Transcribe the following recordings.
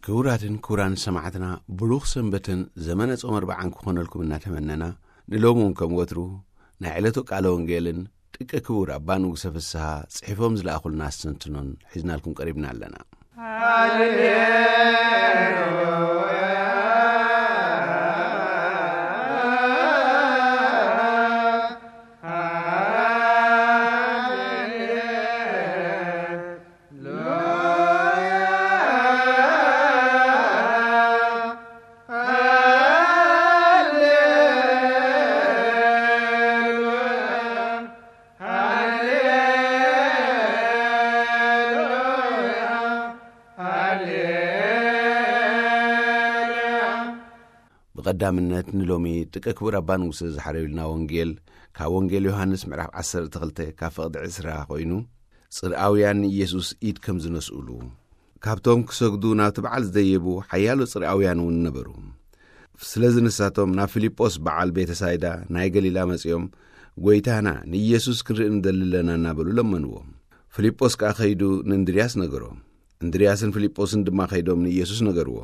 ክቡራትን ክቡራን ሰማዕትና፣ ብሩኽ ሰንበትን ዘመነ ጾም ኣርብዓን ክኾነልኩም እናተመነና፣ ንሎሚ እውን ከም ወትሩ ናይ ዕለቱ ቃለ ወንጌልን ጥቀ ክቡር ኣባ ንጉሰ ፍስሃ ጽሒፎም ዝለኣኹልና ኣስተንትኖን ሒዝናልኩም ቀሪብና ኣለና። ብቐዳምነት ንሎሚ ጥቀ ክቡር ኣባ ንጉሰ ዝሓረዩልና ወንጌል ካብ ወንጌል ዮሃንስ ምዕራፍ ዓሰርተ ክልተ ካብ ፍቕዲ ዕስራ ኮይኑ፣ ጽርኣውያን ንኢየሱስ ኢድ ከም ዝነስኡሉ፣ ካብቶም ክሰግዱ ናብቲ በዓል ዝደየቡ ሓያሎ ጽርኣውያን እውን ነበሩ። ስለዚ ንሳቶም ናብ ፊልጶስ በዓል ቤተሳይዳ ናይ ገሊላ መጺኦም፣ "ጐይታና፣ ንኢየሱስ ክንርኢ ንደሊ ኣለና" እናበሉ ለመንዎ። ፊልጶስ ከኣ ከይዱ ንእንድርያስ ነገሮ። እንድርያስን ፊልጶስን ድማ ከይዶም ንኢየሱስ ነገርዎ።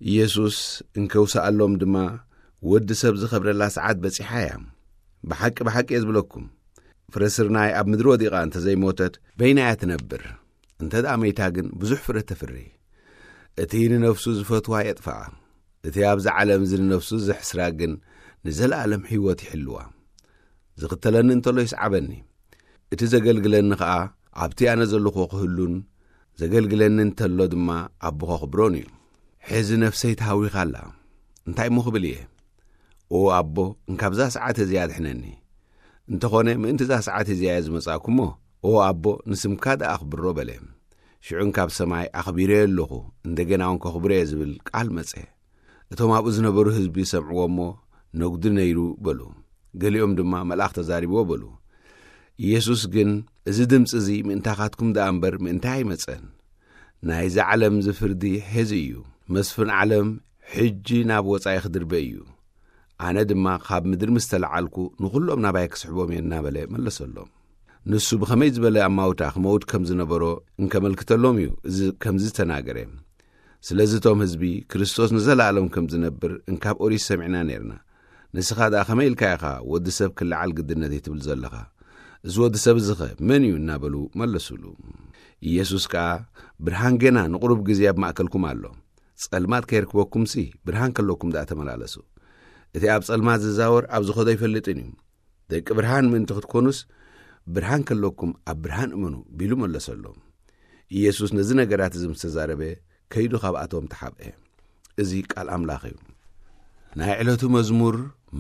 ኢየሱስ እንከውሰኣሎም ድማ፣ "ወዲ ሰብ ዝኸብረላ ሰዓት በጺሓ እያ። ብሓቂ፣ ብሓቂ እየ ዝብለኩም፣ ፍረ ስርናይ ኣብ ምድሪ ወዲቓ እንተ ዘይሞተት፣ በይና እያ ትነብር። እንተ ደኣ መይታ ግን ብዙሕ ፍረ ተፍሪ። እቲ ንነፍሱ ዝፈትዋ የጥፍኣ፣ እቲ ኣብዚ ዓለም እዚ ንነፍሱ ዘሕስራ ግን ንዘለኣለም ህይወት ይሕልዋ። ዝኽተለኒ እንተሎ ይስዓበኒ፣ እቲ ዘገልግለኒ ኸኣ ኣብቲ ኣነ ዘለኹዎ ክህሉን ዘገልግለኒ እንተሎ ድማ ኣቦ ኸኽብሮን እዩ። ሕዚ ነፍሰይ ተሃዊኻ ኣላ። እንታይ እሞ ክብል እየ? ኦ ኣቦ፣ እንካብዛ ሰዓት እዚኣ ኣድሕነኒ። እንተኾነ ምእንቲ እዛ ሰዓት እዚኣ እየ ዝመጻእኩ እሞ፣ ኦ ኣቦ፣ ንስምካ ደኣ ኣኽብሮ" በለ። ሽዑ እንካብ ሰማይ ኣኽቢረዮ ኣለኹ፣ እንደገና እውን ከኽብሮ እየ ዝብል ቃል መጸ። እቶም ኣብኡ ዝነበሩ ህዝቢ ሰምዕዎ እሞ፣ "ነጉዲ ነይሩ" በሉ። ገሊኦም ድማ፣ "መልኣኽ ተዛሪብዎ" በሉ። ኢየሱስ ግን፣ "እዚ ድምጺ እዚ ምእንታኻትኩም ደኣ እምበር ምእንታይ ኣይመጸን። ናይዚ ዓለም እዚ ፍርዲ ሐዚ እዩ። መስፍን ዓለም ሕጂ ናብ ወጻኢ ክድርበ እዩ። ኣነ ድማ ካብ ምድሪ ምስ ተለዓልኩ ንኹሎም ናባይ ክስሕቦም እየ" እናበለ መለሰሎም። ንሱ ብኸመይ ዝበለ ኣማውታ ክመውት ከም ዝነበሮ እንከመልክተሎም እዩ እዚ ከምዚ ዝተናገረ። ስለዚ እቶም ህዝቢ፣ "ክርስቶስ ንዘለኣለም ከም ዝነብር እንካብ ኦሪት ሰሚዕና ኔርና። ንስኻ ደኣ ከመይ ኢልካ ኢኻ ወዲ ሰብ ክለዓል ግድነት እዩ ትብል ዘለኻ? እዚ ወዲ ሰብ እዚኸ መን እዩ?" እናበሉ መለሱሉ። ኢየሱስ ከኣ፣ "ብርሃን ጌና ንቑሩብ ግዜ ኣብ ማእከልኩም ኣሎ። ጸልማት ከየርክበኩምሲ ብርሃን ከለኩም ደኣ ተመላለሱ። እቲ ኣብ ጸልማት ዝዛወር ኣብ ዝኸዶ ኣይፈልጥን እዩ። ደቂ ብርሃን ምእንቲ ክትኮኑስ ብርሃን ከለኩም ኣብ ብርሃን እመኑ" ቢሉ መለሰሎም። ኢየሱስ ነዚ ነገራት እዚ ምስ ተዛረበ ከይዱ ካብኣቶም ተሓብአ። እዚ ቃል ኣምላኽ እዩ። ናይ ዕለቱ መዝሙር፣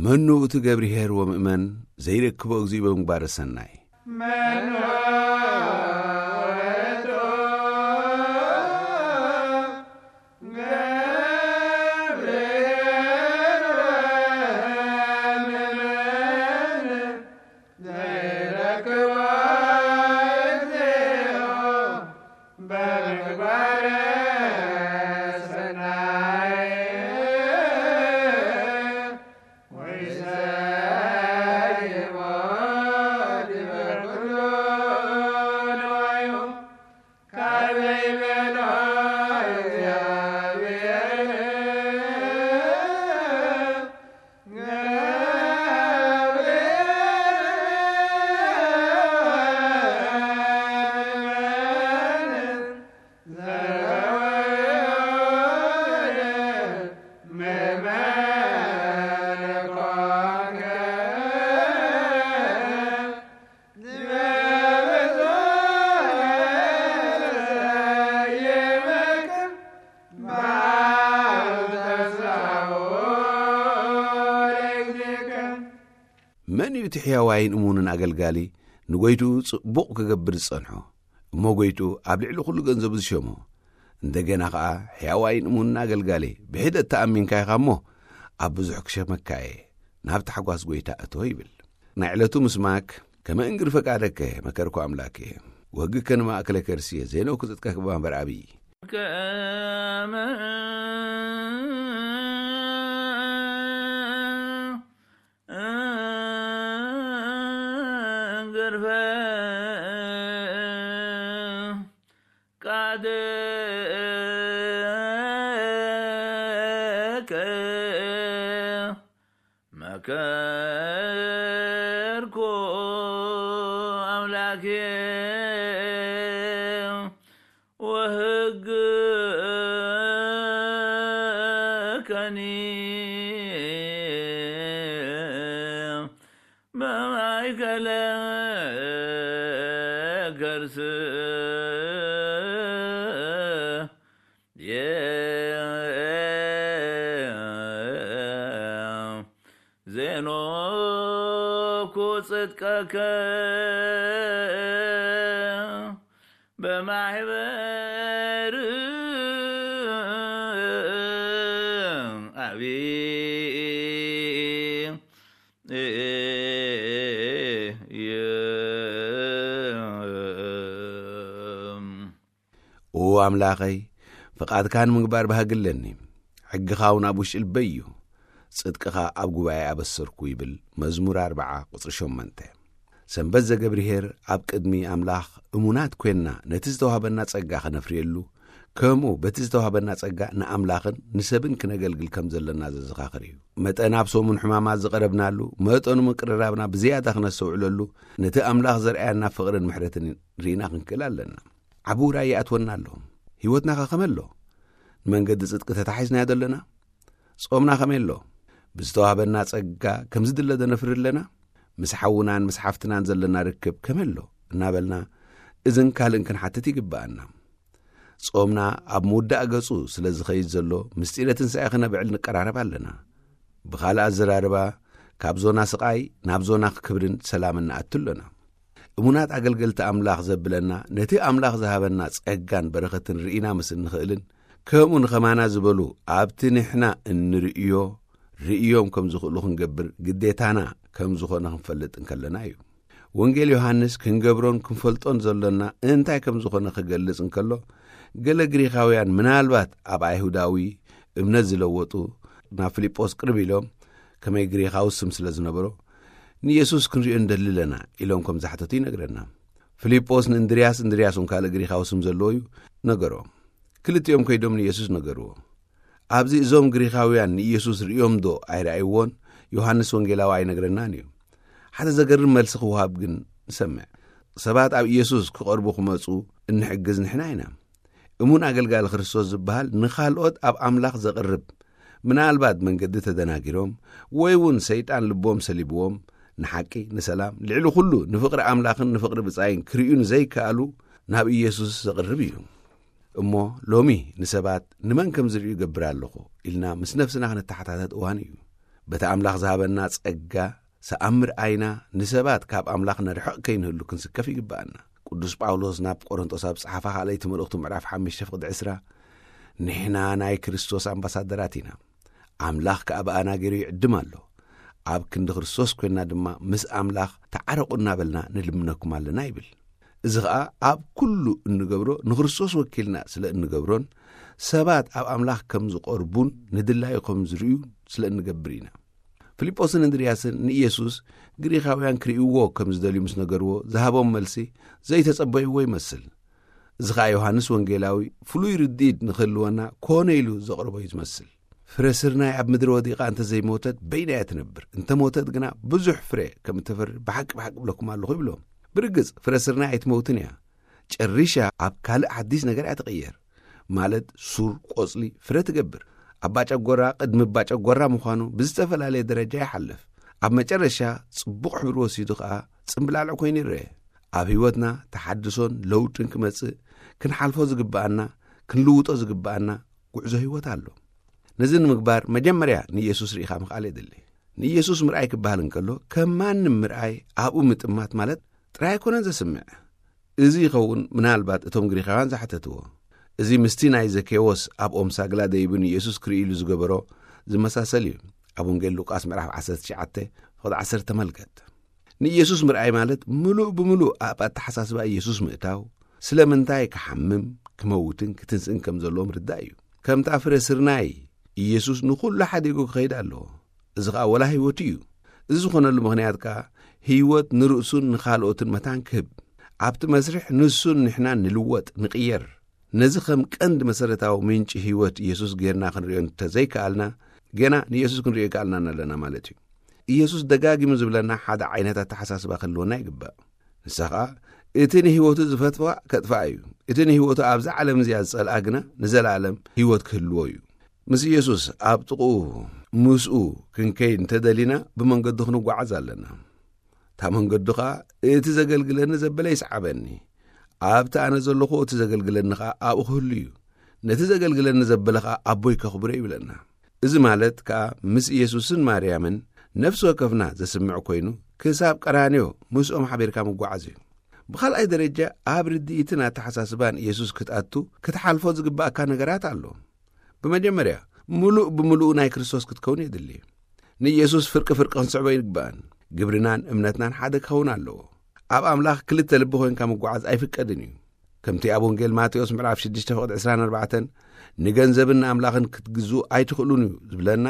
"መኑ እቲ ገብርሄር ወምእመን ዘይረክቦ እግዚኡ በምግባረ ሰናይ?" መኑ ውእቱ ገብርሄር ወምእመን ዘይረክቦ እግዚኦ በምግባረ ሰናይ ወይሰይሞ ዲበ ኩሉ ንዋዩ። ካበይ በሎ እግዚኣብሔር ገብርኤል መን እዩ እቲ ሕያዋይን እሙንን ኣገልጋሊ ንጎይትኡ ጽቡቕ ክገብር ዝጸንሖ፣ እሞ ጎይትኡ ኣብ ልዕሊ ኩሉ ገንዘቡ ዝሸሞ? እንደገና ኸኣ ሕያዋይን እሙንን ኣገልጋሊ ብሒደት ተኣሚንካ ኢኻ እሞ ኣብ ብዙሕ ክሸመካ እየ፣ ናብ ታሕጓስ ጎይታ እቶ ይብል። ናይ ዕለቱ ምስማክ ከመ እንግር ፈቃደከ መከርኩ ኣምላኬ፣ ወሕግከ ንማእከለ ከርስየ ዜነው ክጽጥቀ ክባንበር ኣብይ። ከርኩ ኣምላኬ ወህግ ከኒ በማእከለ ከርስ ዜኖኩ ጽድቀከ በማሕበር ኣብይ ኦ ኣምላኸይ፣ ፍቓድካ ንምግባር ባህጊ ኣለኒ። ሕግኻ እውን ኣብ ውሽጢ ልበይ እዩ። ጽድቅኻ ኣብ ጉባኤ ኣበሰርኩ ይብል መዝሙር ኣርብዓ ቁጽሪ ሸሞንተ። ሰንበት ዘገብርሄር ኣብ ቅድሚ ኣምላኽ እሙናት ኮይንና ነቲ ዝተዋህበና ጸጋ ከነፍርየሉ፣ ከምኡ በቲ ዝተዋህበና ጸጋ ንኣምላኽን ንሰብን ክነገልግል ከም ዘለና ዘዘኻኽር እዩ። መጠን ኣብ ሰሙን ሕማማት ዝቐረብናሉ፣ መጠኑ ምቅርራብና ብዝያዳ ክነስተውዕለሉ፣ ነቲ ኣምላኽ ዘርኣየና ፍቕርን ምሕረትን ርኢና ክንክእል ኣለና። ዓቢ ውራይ ይኣትወና ኣሎ። ህይወትና ከ ከመይ ኣሎ? ንመንገዲ ጽድቂ ተታሒዝናዮ ዘለና? ጾምና ከመይ ኣሎ? ብዝተዋህበና ጸጋ ከም ዝድለ ዶ ነፍሪ ኣለና? ምስ ሓውናን ምስ ሓፍትናን ዘለና ርክብ ከመይ ኣሎ? እናበልና እዝን ካልእን ክንሓትት ይግብኣና። ጾምና ኣብ ምውዳእ ገጹ ስለ ዝኸይድ ዘሎ፣ ምስጢረ ትንሳኤ ክነብዕል ንቀራረብ ኣለና። ብኻልእ ኣዘራርባ፣ ካብ ዞና ስቓይ ናብ ዞና ክብርን ሰላምን ንኣቱ ኣሎና። እሙናት ኣገልገልቲ ኣምላኽ ዘብለና፣ ነቲ ኣምላኽ ዝሃበና ጸጋን በረኸትን ርኢና ምስ እንኽእልን፣ ከምኡ ንኸማና ዝበሉ ኣብቲ ንሕና እንርእዮ ርእዮም ከም ዝኽእሉ ክንገብር ግዴታና ከም ዝኾነ ክንፈልጥ እንከለና እዩ። ወንጌል ዮሃንስ ክንገብሮን ክንፈልጦን ዘሎና እንታይ ከም ዝኾነ ክገልጽ እንከሎ፣ ገለ ግሪኻውያን ምናልባት ኣብ ኣይሁዳዊ እምነት ዝለወጡ ናብ ፊልጶስ ቅርብ ኢሎም፣ ከመይ ግሪኻዊ ስም ስለ ዝነበሮ፣ "ንየሱስ ክንርእዮ እንደሊ ኣለና" ኢሎም ከም ዝሓተቱ ይነግረና። ፊልጶስ ንእንድርያስ፣ እንድርያስ እውን ካልእ ግሪኻዊ ስም ዘለዎ እዩ፣ ነገሮ። ክልቲኦም ከይዶም ንየሱስ ነገርዎ። ኣብዚ እዞም ግሪኻውያን ንኢየሱስ ርእዮም ዶ ኣይረኣይዎን? ዮሃንስ ወንጌላዊ ኣይነግረናን እዩ። ሓደ ዘገርም መልሲ ክወሃብ ግን ንሰምዕ። ሰባት ኣብ ኢየሱስ ክቐርቡ ክመጹ እንሕግዝ ንሕና ኢና። እሙን ኣገልጋሊ ክርስቶስ ዝበሃል ንኻልኦት ኣብ ኣምላኽ ዘቕርብ፣ ምናልባት መንገዲ ተደናጊሮም ወይ እውን ሰይጣን ልቦም ሰሊብዎም፣ ንሓቂ፣ ንሰላም፣ ልዕሊ ኩሉ ንፍቕሪ ኣምላኽን ንፍቕሪ ብጻይን ክርእዩ ንዘይከኣሉ ናብ ኢየሱስ ዘቕርብ እዩ። እሞ ሎሚ ንሰባት ንመን ከም ዝርእዩ ገብር ኣለኹ ኢልና ምስ ነፍስና ክንተሓታተት እዋን እዩ። በቲ ኣምላኽ ዝሃበና ጸጋ ሰኣምር ኣይና ንሰባት ካብ ኣምላኽ ነርሕቕ ከይንህሉ ክንስከፍ ይግብኣና። ቅዱስ ጳውሎስ ናብ ቆሮንቶስ ኣብ ጸሓፋ ካልኣይቲ መልእኽቱ ምዕራፍ ሓሙሽተ ፍቕዲ ዕስራ፣ "ንሕና ናይ ክርስቶስ ኣምባሳደራት ኢና፣ ኣምላኽ ከኣ ብኣና ገይሩ ይዕድም ኣሎ፣ ኣብ ክንዲ ክርስቶስ ኮይንና ድማ ምስ ኣምላኽ ተዓረቑ እናበልና ንልምነኩም ኣለና" ይብል። እዚ ኸኣ ኣብ ኩሉ እንገብሮ ንክርስቶስ ወኪልና ስለ እንገብሮን ሰባት ኣብ ኣምላኽ ከም ዝቐርቡን ንድላዩ ከም ዝርእዩ ስለ እንገብር ኢና። ፊልጶስን እንድርያስን ንኢየሱስ ግሪኻውያን ክርእይዎ ከም ዝደልዩ ምስ ነገርዎ ዝሃቦም መልሲ ዘይተጸበይዎ ይመስል። እዚ ኸኣ ዮሃንስ ወንጌላዊ ፍሉይ ርድኢት ንኽህልወና ኮነ ኢሉ ዘቕረቦ እዩ ዝመስል። "ፍረ ስርናይ ኣብ ምድሪ ወዲቓ እንተ ዘይሞተት በይና እያ ትነብር፣ እንተ ሞተት ግና ብዙሕ ፍረ ከም እተፍሪ ብሓቂ ብሓቂ እብለኩም ኣለኹ" ይብሎም። ብርግጽ ፍረ ስርናይ ኣይትመውትን እያ። ጨሪሻ ኣብ ካልእ ሓዲስ ነገር እያ ትቕየር። ማለት ሱር፣ ቆጽሊ፣ ፍረ ትገብር። ኣባጨጎራ ቅድሚ ኣባጨጎራ ምዃኑ ብዝተፈላለየ ደረጃ ይሓልፍ። ኣብ መጨረሻ ጽቡቕ ሕብሪ ወሲዱ ኸኣ ጽምብላልዕ ኮይኑ ይረአ። ኣብ ህይወትና ተሓድሶን ለውጥን ክመጽእ ክንሓልፎ ዝግብኣና፣ ክንልውጦ ዝግብኣና ጉዕዞ ህይወት ኣሎ። ነዚ ንምግባር መጀመርያ ንኢየሱስ ርኢኻ ምኽኣል የድሊ። ንኢየሱስ ምርኣይ ክበሃል እንከሎ ከም ማንም ምርኣይ ኣብኡ ምጥማት ማለት ጥራይ ኣይኮነን ዘስምዕ። እዚ ይኸውን ምናልባት እቶም ግሪኻውያን ዝሓተትዎ። እዚ ምስቲ ናይ ዘኬዎስ ኣብ ኦም ሳግላ ደይቡ ንኢየሱስ ክርኢ ኢሉ ዝገበሮ ዝመሳሰል እዩ። ኣብ ወንጌል ሉቃስ ምዕራፍ ዓሰርተ ትሽዓተ ፍቕዲ ዓሰርተ ተመልከት። ንኢየሱስ ምርኣይ ማለት ምሉእ ብምሉእ ኣብ ኣተሓሳስባ ኢየሱስ ምእታው፣ ስለምንታይ ክሓምም፣ ክመውትን ክትንስእን ከም ዘለዎ ምርዳእ እዩ። ከምታ ፍረ ስርናይ ኢየሱስ ንኹሉ ሓዲጉ ክኸይድ ኣለዎ። እዚ ኸኣ ወላ ህይወቱ እዩ። እዚ ዝኾነሉ ምኽንያት ከኣ ህይወት ንርእሱን ንኻልኦትን መታን ክህብ፣ ኣብቲ መስርሕ ንሱን ንሕናን ንልወጥ፣ ንቕየር። ነዚ ከም ቀንዲ መሰረታዊ ምንጪ ህይወት ኢየሱስ ጌርና ክንርእዮ እንተዘይከኣልና፣ ገና ንኢየሱስ ክንርእዮ ኣይከኣልናን ኣለና ማለት እዩ። ኢየሱስ ደጋጊሙ ዝብለና ሓደ ዓይነት ኣተሓሳስባ ክህልወና ይግባእ። ንሳ ኸኣ፣ እቲ ንህይወቱ ዝፈትዋ ከጥፍኣ እዩ፣ እቲ ንህይወቱ ኣብዛ ዓለም እዚኣ ዝጸልኣ ግና ንዘለኣለም ህይወት ክህልዎ እዩ። ምስ ኢየሱስ ኣብ ጥቕኡ፣ ምስኡ ክንከይድ እንተደሊና፣ ብመንገዱ ክንጓዓዝ ኣለና። እታ መንገዱ ኸኣ፣ እቲ ዘገልግለኒ ዘበለ ይስዓበኒ፣ ኣብቲ ኣነ ዘለኹ እቲ ዘገልግለኒ ኸኣ ኣብኡ ክህሉ እዩ፣ ነቲ ዘገልግለኒ ዘበለ ኸኣ ኣቦይ ከኽብሮ ይብለና። እዚ ማለት ከኣ፣ ምስ ኢየሱስን ማርያምን ነፍሲ ወከፍና ዘስምዕ ኮይኑ፣ ክሳብ ቀራንዮ ምስኦም ሓቢርካ ምጓዓዝ እዩ። ብኻልኣይ ደረጃ፣ ኣብ ርድኢትን ኣተሓሳስባን ኢየሱስ ክትኣቱ ክትሓልፎ ዝግባእካ ነገራት ኣሎ። ብመጀመርያ፣ ምሉእ ብምሉኡ ናይ ክርስቶስ ክትከውን የድሊ። ንኢየሱስ ፍርቂ ፍርቂ ክንስዕቦ ይግባእን፣ ግብርናን እምነትናን ሓደ ክኸውን ኣለዎ። ኣብ ኣምላኽ ክልተ ልቢ ኮይንካ ምጓዓዝ ኣይፍቀድን እዩ። ከምቲ ኣብ ወንጌል ማቴዎስ ምዕራፍ ሽዱሽተ ፍቕዲ ዕስራን ኣርባዕተን፣ "ንገንዘብን ንኣምላኽን ክትግዝኡ ኣይትኽእሉን እዩ" ዝብለና፣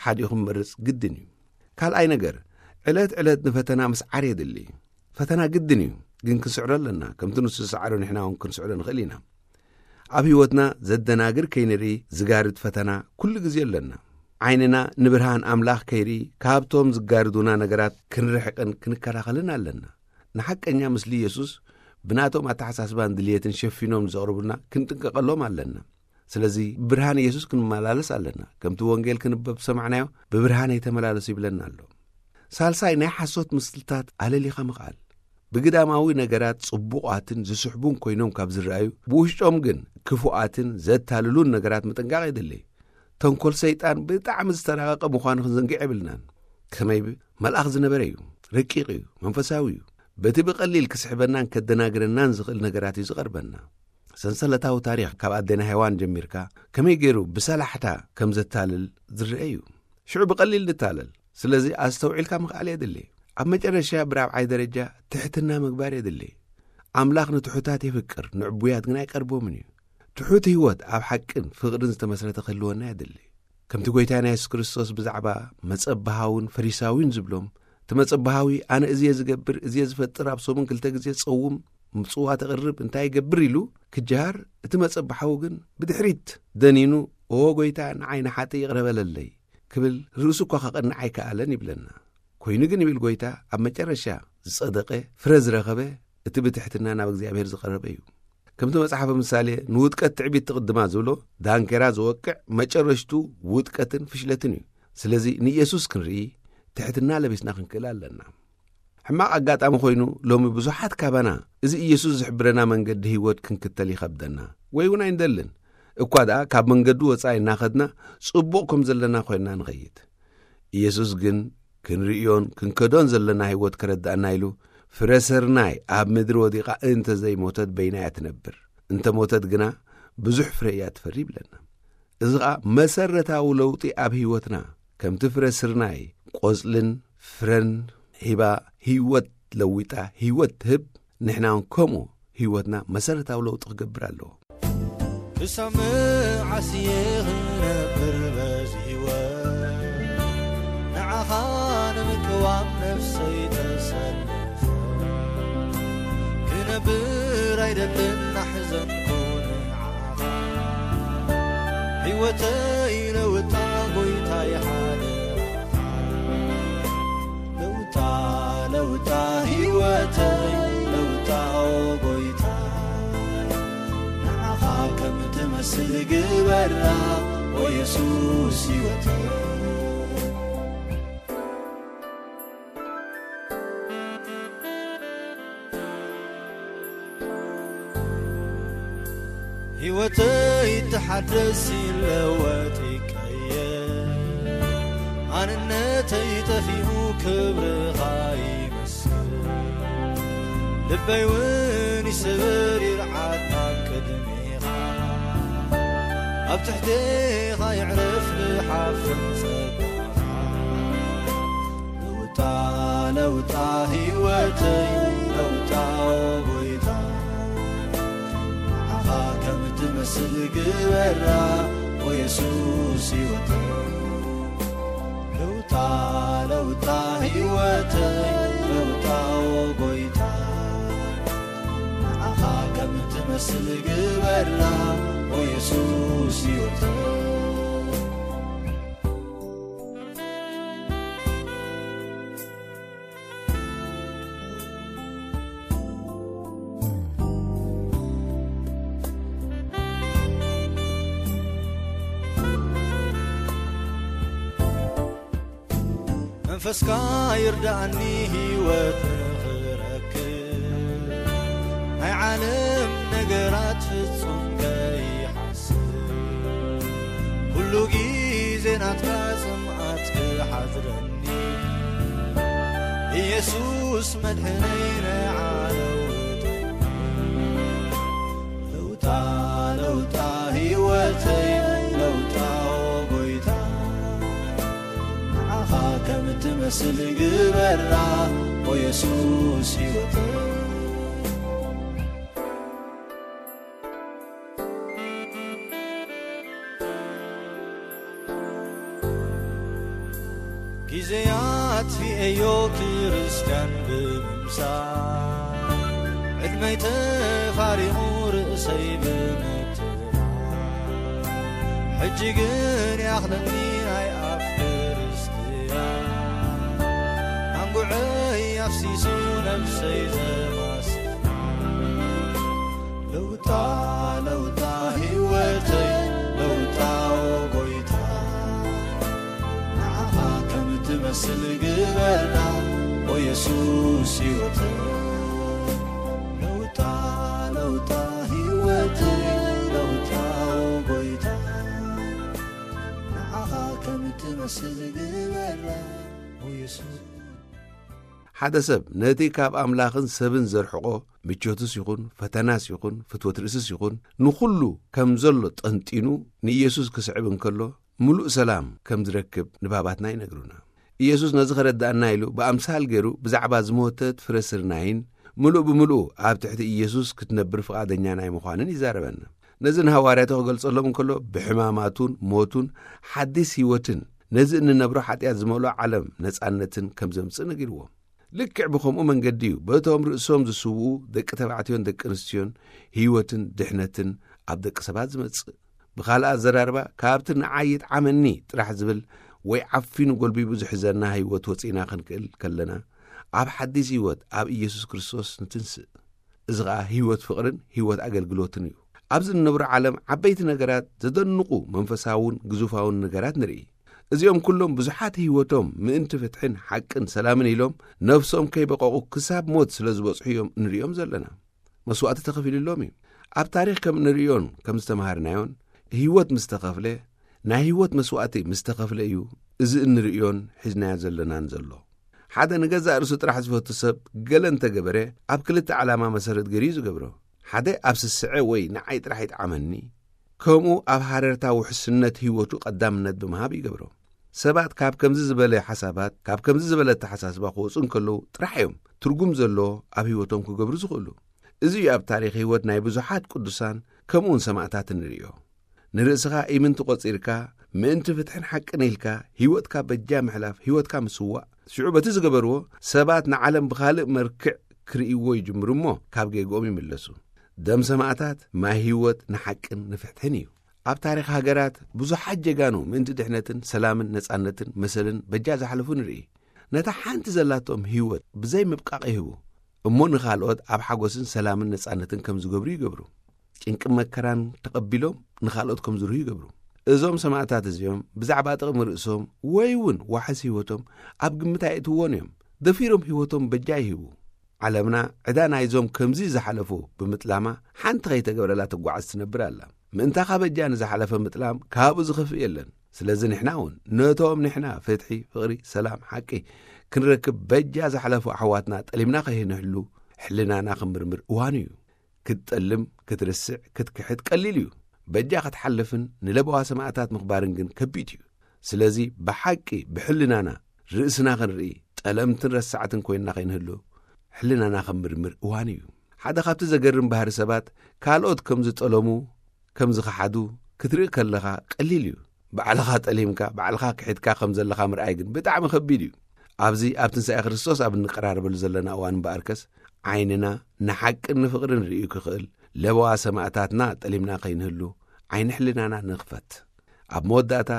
ሓዲኡ ክመርጽ ግድን እዩ። ካልኣይ ነገር፣ ዕለት ዕለት ንፈተና ምስዓር የድሊ። ፈተና ግድን እዩ፣ ግን ክንስዕሮ ኣለና። ከምቲ ንሱ ዝሰዓሮ ንሕና እውን ክንስዕሮ ንኽእል ኢና። ኣብ ህይወትና ዘደናግር ከይንርኢ ዝጋርድ ፈተና ኩሉ ግዜ ኣለና። ዓይንና ንብርሃን ኣምላኽ ከይርኢ ካብቶም ዝጋርዱና ነገራት ክንርሕቅን ክንከላኸልን ኣለና። ንሓቀኛ ምስሊ ኢየሱስ ብናቶም ኣተሓሳስባን ድልየትን ሸፊኖም ዘቕርቡልና ክንጥንቀቐሎም ኣለና። ስለዚ ብብርሃን ኢየሱስ ክንመላለስ ኣለና። ከምቲ ወንጌል ክንበብ ዝሰማዕናዮ፣ "ብብርሃን ኣይተመላለሱ" ይብለና ኣሎ። ሳልሳይ፣ ናይ ሓሶት ምስልታት ኣለሊኻ ምኽኣል። ብግዳማዊ ነገራት ጽቡቓትን ዝስሕቡን ኮይኖም ካብ ዝረኣዩ፣ ብውሽጦም ግን ክፉኣትን ዘታልሉን ነገራት ምጥንቃቕ የድሊ። ተንኮል ሰይጣን ብጣዕሚ ዝተራቐቐ ምዃኑ ክንዘንግዕ የብልናን። ከመይ ብ-፣ መልኣኽ ዝነበረ እዩ፣ ረቂቕ እዩ፣ መንፈሳዊ እዩ። በቲ ብቐሊል ክስሕበናን ከደናግረናን ዝኽእል ነገራት እዩ ዝቐርበና። ሰንሰለታዊ ታሪኽ ካብ ኣዴና ሄዋን ጀሚርካ ከመይ ገይሩ ብሰላሕታ ከም ዘታልል ዝረአ እዩ። ሽዑ ብቐሊል ንታለል። ስለዚ ኣስተውዒልካ ምኽኣል የድሊ። ኣብ መጨረሻ ብራብዓይ ደረጃ ትሕትና ምግባር የድሊ። ኣምላኽ ንትሑታት የፍቅር፣ ንዕቡያት ግን ኣይቀርቦምን እዩ። ትሑት ህይወት ኣብ ሓቅን ፍቕርን ዝተመስረተ ክህልወና የድሊ። ከምቲ ጐይታና የሱስ ክርስቶስ ብዛዕባ መጸባሃውን ፈሪሳዊን ዝብሎም፣ እቲ መጸባሃዊ ኣነ እዚ እየ ዝገብር፣ እዚ እየ ዝፈጥር፣ ኣብ ሰሙን ክልተ ግዜ ዝጸውም፣ ምጽዋት የቕርብ፣ እንታይ ይገብር ኢሉ ክጀሃር፣ እቲ መጸባሃዊ ግን ብድሕሪት ደኒኑ፣ "ኦ ጐይታ፣ ንዓይ ንሓጥእ ይቕረ በለለይ" ክብል ርእሱ እኳ ከቐንዕ ኣይከኣለን ይብለና። ኮይኑ ግን ይብል ጐይታ፣ ኣብ መጨረሻ ዝጸደቐ ፍረ ዝረኸበ እቲ ብትሕትና ናብ እግዚኣብሔር ዝቐረበ እዩ። ከምቲ መጽሓፈ ምሳሌ፣ "ንውድቀት ትዕቢት ትቕድማ" ዝብሎ፣ ዳንኬራ ዝወቅዕ መጨረሽቱ ውድቀትን ፍሽለትን እዩ። ስለዚ ንኢየሱስ ክንርኢ ትሕትና ለቢስና ክንክእል ኣለና። ሕማቕ ኣጋጣሚ ኮይኑ ሎሚ ብዙሓት ካባና እዚ ኢየሱስ ዝሕብረና መንገዲ ህይወት ክንክተል ይኸብደና ወይ እውን ኣይንደልን። እኳ ደኣ ካብ መንገዱ ወጻኢ እናኸድና ጽቡቕ ከም ዘለና ኮይንና ንኸይድ። ኢየሱስ ግን ክንርእዮን ክንከዶን ዘለና ህይወት ከረድኣና ኢሉ፣ "ፍረ ስርናይ ኣብ ምድሪ ወዲቓ እንተ ዘይሞተት በይና እያ ትነብር፣ እንተ ሞተት ግና ብዙሕ ፍረ እያ ትፈሪ" ይብለና። እዚ ኸኣ መሰረታዊ ለውጢ ኣብ ህይወትና፣ ከምቲ ፍረ ስርናይ ቆጽልን ፍረን ሂባ ህይወት ለዊጣ ህይወት ትህብ፣ ንሕና እውን ከምኡ ህይወትና መሰረታዊ ለውጢ ክገብር ኣለዎ። ክሳብ መዓስ እየ ክነብር በዚ ህይወት? ንዓኻ ንምቅዋም ነፍሰይ ተሰልፈ ክነብር ኣይደልን፣ ናሕዘንኩ ንዓኻ። ህይወተይ ለውጣ ጎይታይ ሓደራኻ። ለውጣ፣ ለውጣ ህይወተይ ለውጣ ኦ ጎይታ። ንዓኻ ከም ትመስል ግበራ ኦ የሱስ ህይወተይ። ህይወተይ ተሓደስ ይለወጥ ይቀየር። ኣንነተይ ጠፊኡ ክብርኻ ይመስል። ልበይ እውን ይስበር ይርዓድ ኣብ ቅድሜኻ። ኣብ ትሕቴኻ ይዕረፍ ብሓፍን ጸጋኻ። ለውጣ፣ ለውጣ ህይወተይ ለውጣ ኦ ጎይታ። ንዓኻ ከም ትመስል ግበራ ኦ የሱስ ህይወተይ። ለውጣ፣ ለውጣ ህይወተይ ለውጣ ኦ ጎይታ። ንዓኻ ከም ትመስል ግበራ ኦ የሱስ ህይወተይ። መንፈስካ ይርዳእኒ ህይወት ንኽረክብ፣ ናይ ዓለም ነገራት ፍጹም ከይሓስብ፣ ኩሉ ግዜ ናትካ ጽምኣት ክሓድረኒ፣ ኢየሱስ መድሕነይ ንዓ ለውጠኒ። ለውጣ ለውጣ ህይወተይ ለውጣ፣ ኦ ጎይታ፣ ንዓኻ ከም ትመስል ግበራ፣ ኦ የሱስ ህይወተይ። ግዜያት ርእዮ ክርስትያን ብምምሳል፣ ዕድመይ ተፋሪቑ ርእሰይ ብምትራር፣ ሕጂ ግን ያኽለኒ ናይ ኣፍ ክርስትያን፣ ኣንጉዐይ ኣፍሲሱ ነብሰይ ዘማስና። ለውጣ ለውጣ ህይወተይ ለውጣ፣ ኦ ጎይታ፣ ንዓኻ ከም ትመስል ግበራ፣ ኦ የሱስ ህይወተይ። ለውጣ ለውጣ ህይወተይ ለውጣ፣ ኦ ጎይታ፣ ንዓኻ ከም ትመስል ግበራ፣ ኦ የሱስ። ሓደ ሰብ ነቲ ካብ ኣምላኽን ሰብን ዘርሕቖ ምቾትስ ይኹን፣ ፈተናስ ይኹን፣ ፍትወት ርእስስ ይኹን፣ ንኹሉ ከም ዘሎ ጠንጢኑ ንኢየሱስ ክስዕብ እንከሎ፣ ምሉእ ሰላም ከም ዝረክብ ንባባትና ይነግሩና። ኢየሱስ ነዚ ከረዳእና ኢሉ ብኣምሳል ገይሩ ብዛዕባ ዝሞተት ፍረ ስርናይን ምሉእ ብምሉእ ኣብ ትሕቲ ኢየሱስ ክትነብር ፍቓደኛ ናይ ምዃንን ይዛረበና። ነዚ ንሃዋርያቱ ክገልጸሎም እንከሎ ብሕማማቱን ሞቱን ሓዲስ ህይወትን ነዚ እንነብሮ ሓጢኣት ዝመልኦ ዓለም ነጻነትን ከም ዘምጽእ ነጊርዎም። ልክዕ ብኸምኡ መንገዲ እዩ በቶም ርእሶም ዝስውኡ ደቂ ተባዕትዮን ደቂ ኣንስትዮን ህይወትን ድሕነትን ኣብ ደቂ ሰባት ዝመጽእ። ብኻልእ ኣዘራርባ፣ ካብቲ ንዓይ ይጥዓመኒ ጥራሕ ዝብል ወይ ዓፊኑ ጎልቢቡ ዝሕዘና ህይወት ወጺእና ክንክእል ከለና፣ ኣብ ሓዲስ ህይወት ኣብ ኢየሱስ ክርስቶስ ንትንስእ። እዚ ኸኣ ህይወት ፍቕርን ህይወት ኣገልግሎትን እዩ። ኣብዚ እንነብሮ ዓለም ዓበይቲ ነገራት፣ ዘደንቑ መንፈሳውን ግዙፋውን ነገራት ንርኢ። እዚኦም ኩሎም ብዙሓት ህይወቶም ምእንቲ ፍትሕን ሓቅን ሰላምን ኢሎም ነፍሶም ከይበቐቑ ክሳብ ሞት ስለ ዝበጽሑ እዮም እንርእዮም ዘለና። መስዋእቲ ተኸፊሉሎም እዩ። ኣብ ታሪኽ ከም እንርእዮን ከም ዝተምሃርናዮን፣ ህይወት ምስ ተኸፍለ፣ ናይ ህይወት መስዋእቲ ምስ ተኸፍለ እዩ እዚ እንርእዮን ሒዝናዮ ዘለናን ዘሎ። ሓደ ንገዛእ ርእሱ ጥራሕ ዝፈቱ ሰብ ገለ እንተገበረ፣ ኣብ ክልተ ዓላማ መሰረት ገይሩ እዩ ዝገብሮ። ሓደ ኣብ ስስዐ ወይ ንዓይ ጥራሕ ይጥዓመኒ፣ ከምኡ ኣብ ሃረርታ ውሕስነት ህይወቱ ቀዳምነት ብምሃብ ይገብሮ። ሰባት ካብ ከምዚ ዝበለ ሓሳባት፣ ካብ ከምዚ ዝበለ ኣተሓሳስባ ክወጹ እንከለዉ ጥራሕ እዮም ትርጉም ዘለዎ ኣብ ህይወቶም ክገብሩ ዝኽእሉ። እዚ እዩ ኣብ ታሪኽ ህይወት ናይ ብዙሓት ቅዱሳን ከምኡውን ሰማእታት እንርእዮ። ንርእስኻ ኢምንቲ ቆጺርካ፣ ምእንቲ ፍትሕን ሓቅን ኢልካ ህይወትካ በጃ ምሕላፍ፣ ህይወትካ ምስዋእ፣ ሽዑ በቲ ዝገበርዎ ሰባት ንዓለም ብኻልእ መርክዕ ክርእይዎ ይጅምሩ እሞ ካብ ጌግኦም ይምለሱ። ደም ሰማእታት ማይ ህይወት ንሓቅን ንፍትሕን እዩ። ኣብ ታሪኽ ሃገራት ብዙሓት ጀጋኑ ምእንቲ ድሕነትን ሰላምን ነጻነትን መሰልን በጃ ዝሓለፉ ንርኢ። ነታ ሓንቲ ዘላቶም ህይወት ብዘይ ምብቃቕ ይህቡ። እሞ ንኻልኦት ኣብ ሓጎስን ሰላምን ነጻነትን ከም ዝገብሩ ይገብሩ። ጭንቂ መከራን ተቐቢሎም ንኻልኦት ከም ዝርሁ ይገብሩ። እዞም ሰማእታት እዚኦም ብዛዕባ ጥቕሚ ርእሶም ወይ እውን ዋሕስ ህይወቶም ኣብ ግምት ኣየእትውዎን እዮም። ደፊሮም ህይወቶም በጃ ይህቡ። ዓለምና ዕዳ ናይዞም ከምዚ ዝሓለፉ ብምጥላማ ሓንቲ ከይተገብረላ ትጓዓዝ ትነብር ኣላ። ምእንታኻ በጃ ንዝሓለፈ ምጥላም ካብኡ ዝኸፍእ የለን። ስለዚ ንሕና እውን ነቶም ንሕና ፍትሒ፣ ፍቕሪ፣ ሰላም፣ ሓቂ ክንረክብ በጃ ዝሓለፉ ኣሕዋትና ጠሊምና ከይንህሉ ሕልናና ክንምርምር እዋኑ እዩ። ክትጠልም፣ ክትርስዕ፣ ክትክሕድ ቀሊል እዩ። በጃ ክትሓልፍን ንለበዋ ሰማእታት ምኽባርን ግን ከቢድ እዩ። ስለዚ ብሓቂ ብሕልናና ርእስና ክንርኢ፣ ጠለምትን ረሳዕትን ኮይንና ከይንህሉ ሕልናና ክንምርምር እዋን እዩ። ሓደ ካብቲ ዘገርም ባህሪ ሰባት፣ ካልኦት ከም ዝጠለሙ፣ ከም ዝኸሓዱ ክትርኢ ከለኻ ቀሊል እዩ። ባዕልኻ ጠሊምካ፣ ባዕልኻ ክሒድካ ከም ዘለኻ ምርኣይ ግን ብጣዕሚ ከቢድ እዩ። ኣብዚ ኣብ ትንሳኤ ክርስቶስ ኣብ እንቀራረበሉ ዘለና እዋን እምበኣርከስ፣ ዓይንና ንሓቅን ንፍቕርን ርእዩ ክኽእል፣ ለበዋ ሰማእታትና ጠሊምና ከይንህሉ፣ ዓይኒ ሕልናና ንኽፈት። ኣብ መወዳእታ፣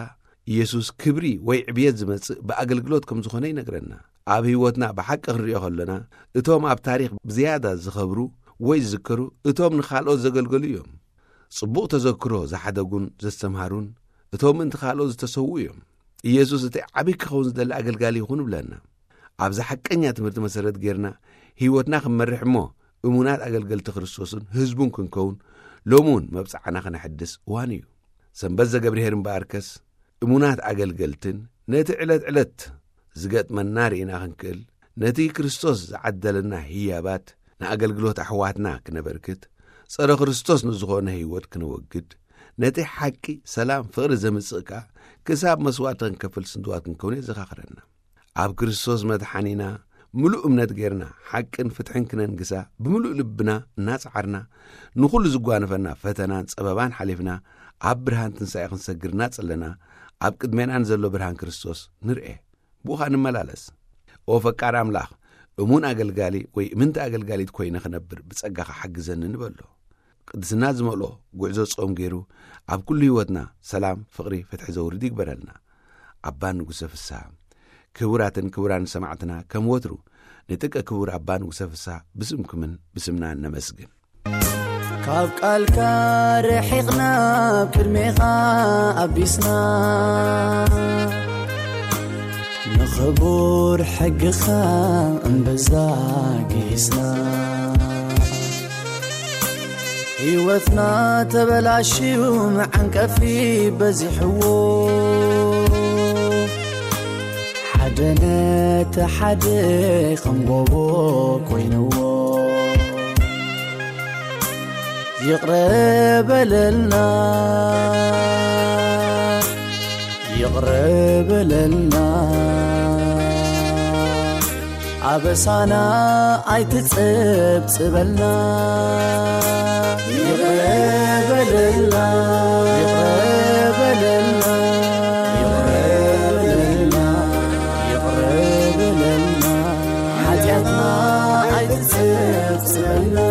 ኢየሱስ ክብሪ ወይ ዕብየት ዝመጽእ ብኣገልግሎት ከም ዝኾነ ይነግረና። ኣብ ህይወትና ብሓቂ ክንርእዮ ከለና፣ እቶም ኣብ ታሪኽ ብዝያዳ ዝኸብሩ ወይ ዝዝከሩ፣ እቶም ንኻልኦት ዘገልገሉ እዮም። ጽቡቕ ተዘክሮ ዝሓደጉን ዘስተምሃሩን፣ እቶም ምእንቲ ካልኦት ዝተሰውኡ እዮም። ኢየሱስ እቲ ዓብዪ ክኸውን ዝደሊ ኣገልጋሊ ይኹን ይብለና። ኣብዚ ሓቀኛ ትምህርቲ መሰረት ጌርና ህይወትና ክንመርሕ እሞ እሙናት ኣገልገልቲ ክርስቶስን ህዝቡን ክንከውን ሎሚ እውን መብጽዓና ክነሕድስ እዋን እዩ። ሰንበት ዘገብርሄር እምበኣርከስ እሙናት ኣገልገልትን ነቲ ዕለት ዕለት ዝገጥመና ርኢና ክንክእል ነቲ ክርስቶስ ዝዓደለና ህያባት ንኣገልግሎት ኣሕዋትና ክነበርክት፣ ጸረ ክርስቶስ ንዝኾነ ህይወት ክነወግድ፣ ነቲ ሓቂ፣ ሰላም፣ ፍቕሪ ዘምጽእ ከኣ ክሳብ መስዋእቲ ክንከፍል ስንድዋት ክንከውን የዘኻኽረና። ኣብ ክርስቶስ መድሓኒና ምሉእ እምነት ጌርና ሓቅን ፍትሕን ክነንግሳ ብምሉእ ልብና እናጸዓርና ንኹሉ ዝጓነፈና ፈተናን ጸበባን ሓሊፍና ኣብ ብርሃን ትንሳኤ ክንሰግር እናጸለና ኣብ ቅድሜና ንዘሎ ብርሃን ክርስቶስ ንርኤ። ብኡ ኸኣ ንመላለስ። ኦ ፈቃር ኣምላኽ፣ እሙን ኣገልጋሊ ወይ እምንቲ ኣገልጋሊት ኮይነ ክነብር ብጸጋኻ ሓግዘኒ ንበሎ። ቅድስና ዝመልኦ ጉዕዞ ጾም ገይሩ ኣብ ኩሉ ህይወትና ሰላም፣ ፍቕሪ፣ ፍትሒ ዘውርድ ይግበረልና። ኣባ ንጉሰ ፍስሃ። ክቡራትን ክቡራን ሰማዕትና፣ ከም ወትሩ ንጥቀ ክቡር ኣባ ንጉሰ ፍስሃ ብስምኩምን ብስምናን ነመስግን። ካብ ቃልካ ርሒቕና፣ ኣብ ቅድሜኻ ኣቢስና፣ ንኽቡር ሕግኻ እምበዛ ጊስና። ህይወትና ተበላሽዩ፣ መዓንቀፊ በዚሕዎ፣ ሓደ ነቲ ሓደ ከም ጎቦ ኮይንዎ። ይቕረ በለልና፣ ይቕረ በለልና፣ ኣበሳና ኣይትጸብጽበልና። ይቕረ በለልና፣ ይቕረ በለልና፣ ይቕረ በለልና፣ ይቕረ በለልና፣ ሓጢኣትና ኣይትጸብጽበልና።